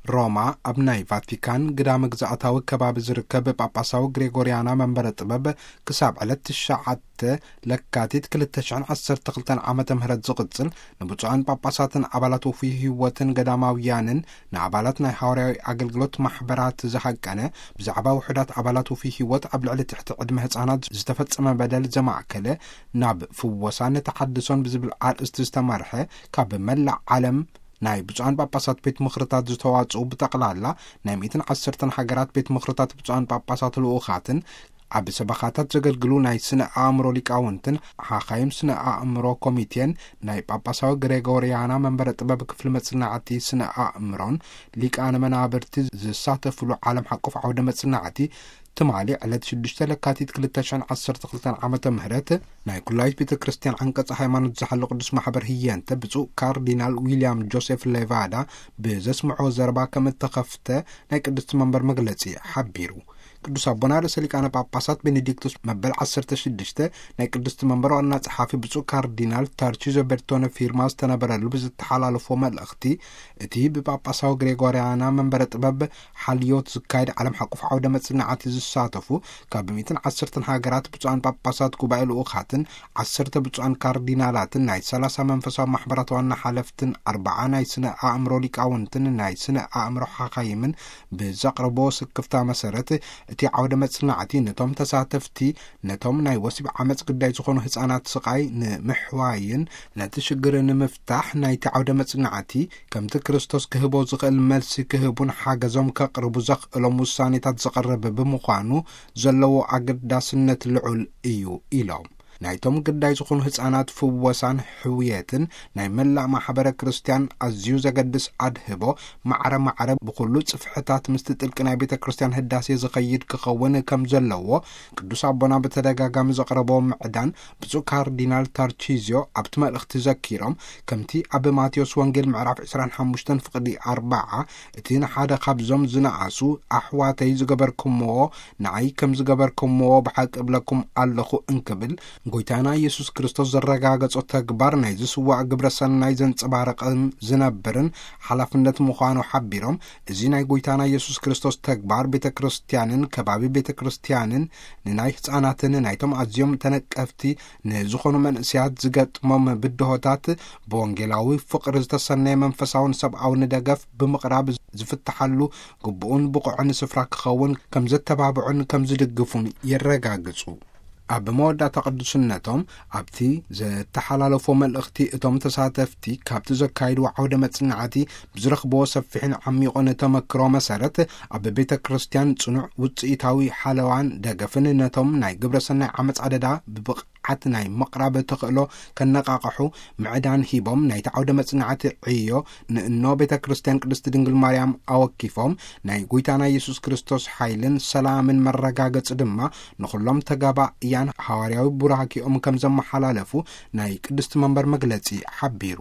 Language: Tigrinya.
ሮማ፣ ኣብ ናይ ቫቲካን ግዳመ ግዝኣታዊ ከባቢ ዝርከብ ጳጳሳዊ ግሬጎርያና መንበረ ጥበብ፣ ክሳብ ዕለት ትሽዓተ ለካቲት ክልተ ሽሕን ዓሰርተ ክልተን ዓመተ ምህረት ዝቕጽል፣ ንብፁዓን ጳጳሳትን ኣባላት ውፉይ ህይወትን ገዳማውያንን፣ ንኣባላት ናይ ሃዋርያዊ ኣገልግሎት ማሕበራት ዝሃቀነ፣ ብዛዕባ ውሑዳት ኣባላት ውፉይ ህይወት ኣብ ልዕሊ ትሕቲ ዕድመ ህጻናት ዝተፈጸመ በደል ዘማእከለ፣ ናብ ፍወሳን ተሓድሶን ብዝብል ኣርእስቲ ዝተመርሐ፣ ካብ መላእ ዓለም ናይ ብፁዓን ጳጳሳት ቤት ምኽርታት ዝተዋጽኡ ብጠቕላላ ናይ ሚእትን ዓሰርተን ሃገራት ቤት ምኽርታት ብፁዓን ጳጳሳት ልኡኻትን፣ ኣብ ሰበኻታት ዘገልግሉ ናይ ስነ ኣእምሮ ሊቃውንትን፣ ሓኻይም ስነ ኣእምሮ ኮሚቴን፣ ናይ ጳጳሳዊ ግሬጎርያና መንበረ ጥበብ ክፍሊ መጽናዕቲ ስነ ኣእምሮን ሊቃነ መናብርቲ ዝሳተፍሉ ዓለም ሓቆፍ ዓውደ መጽናዕቲ፣ ትማሊ ዕለት ሽዱሽተ ለካቲት ክልተ ሽሕን ዓሰርተ ክልተን ዓመተ ምህረት፣ ናይ ኩላዊት ቤተ ክርስቲያን ዓንቀጸ ሃይማኖት ዝሓሉ ቅዱስ ማሕበር ህየንተ፣ ብፁዕ ካርዲናል ዊልያም ጆሴፍ ሌቫዳ ብዘስምዖ ዘረባ ከም እተኸፍተ ናይ ቅድስቲ መንበር መግለጺ ሓቢሩ። ቅዱስ ኣቦና ርእሰ ሊቃነ ጳጳሳት ቤኔዲክቶስ መበል ዓሰርተ ሽዱሽተ፣ ናይ ቅድስቲ መንበር ዋና ጸሓፊ ብፁዕ ካርዲናል ታርቺዞ ቤርቶነ ፊርማ ዝተነበረሉ ብዝተሓላለፎ መልእኽቲ፣ እቲ ብጳጳሳዊ ግሬጎርያና መንበረ ጥበብ ሓልዮት ዝካየድ ዓለም ሓቆፍ ዓውደ መጽናዕቲ ዝሳተፉ ካብ ሚእትን ዓሰርተን ሃገራት ብፁዓን ጳጳሳት ጉባኤ ልኡኻትን፣ ዓሰርተ ብፁዓን ካርዲናላትን፣ ናይ ሰላሳ መንፈሳዊ ማሕበራት ዋና ሓለፍትን፣ ኣርብዓ ናይ ስነ ኣእምሮ ሊቃውንትን ናይ ስነ ኣእምሮ ሓኻይምን ብዘቕረቦ ስክፍታ መሰረት፣ እቲ ዓውደ መጽናዕቲ ነቶም ተሳተፍቲ፣ ነቶም ናይ ወሲብ ዓመጽ ግዳይ ዝኾኑ ህጻናት ስቓይ ንምሕዋይን ነቲ ሽግር ንምፍታሕ ናይቲ ዓውደ መጽናዕቲ ከምቲ ክርስቶስ ክህቦ ዝኽእል መልሲ ክህቡን ሓገዞም ከቕርቡ ዘኽእሎም ውሳኔታት ዘቕርብ ብምዃኑ ዘለዎ ኣገዳስነት ልዑል እዩ ኢሎም። ናይቶም ግዳይ ዝኾኑ ህጻናት ፍወሳን ሕውየትን ናይ መላእ ማሕበረ ክርስቲያን ኣዝዩ ዘገድስ ኣድህቦ ማዕረ ማዕረ ብኹሉ ጽፍሕታት ምስቲ ጥልቂ ናይ ቤተ ክርስቲያን ህዳሴ ዝኸይድ ክኸውን ከም ዘለዎ ቅዱስ ኣቦና ብተደጋጋሚ ዘቕረቦ ምዕዳን ብፁዕ ካርዲናል ታርቺዝዮ ኣብቲ መልእኽቲ ዘኪሮም፣ ከምቲ ኣብ ማቴዎስ ወንጌል ምዕራፍ ዕስራን ሓሙሽተን ፍቕዲ ኣርብዓ፣ እቲ ንሓደ ካብዞም ዝነኣሱ ኣሕዋተይ ዝገበርኩምዎ ንዓይ ከም ዝገበርኩምዎ ብሓቂ እብለኩም ኣለኹ እንክብል፣ ጎይታና ኢየሱስ ክርስቶስ ዘረጋገጾ ተግባር ናይ ዝስዋዕ ግብረ ሰናይ ዘንጸባረቐን ዝነብርን ሓላፍነት ምዃኑ ሓቢሮም፣ እዚ ናይ ጎይታና ኢየሱስ ክርስቶስ ተግባር ቤተ ክርስቲያንን ከባቢ ቤተ ክርስቲያንን ንናይ ህጻናትን ናይቶም ኣዝዮም ተነቀፍቲ ንዝኾኑ መንእሰያት ዝገጥሞም ብድሆታት ብወንጌላዊ ፍቕሪ ዝተሰነየ መንፈሳውን ሰብኣውን ደገፍ ብምቕራብ ዝፍትሓሉ ግቡእን ብቑዕን ስፍራ ክኸውን ከም ዘተባብዑን ከም ዝድግፉን የረጋግጹ። ኣብ መወዳእታ ቅዱስነቶም ኣብቲ ዘተሓላለፎ መልእኽቲ እቶም ተሳተፍቲ ካብቲ ዘካይድዎ ዓውደ መጽናዕቲ ብዝረኽብዎ ሰፊሕን ዓሚቑን ተመክሮ መሰረት ኣብ ቤተ ክርስቲያን ጽኑዕ ውጽኢታዊ ሓለዋን ደገፍን ነቶም ናይ ግብረ ሰናይ ዓመጽ ኣደዳ ብብቕዓት ናይ ምቕራብ ተኽእሎ ከነቓቕሑ ምዕዳን ሂቦም ናይቲ ዓውደ መጽናዕቲ ዕዮ ንእኖ ቤተ ክርስቲያን ቅድስቲ ድንግል ማርያም ኣወኪፎም ናይ ጎይታና ኢየሱስ ክርስቶስ ሓይልን ሰላምን መረጋገጺ ድማ ንኹሎም ተጋባእያን ሃዋርያዊ ቡራኪኦም ከም ዘመሓላለፉ ናይ ቅድስቲ መንበር መግለጺ ሓቢሩ።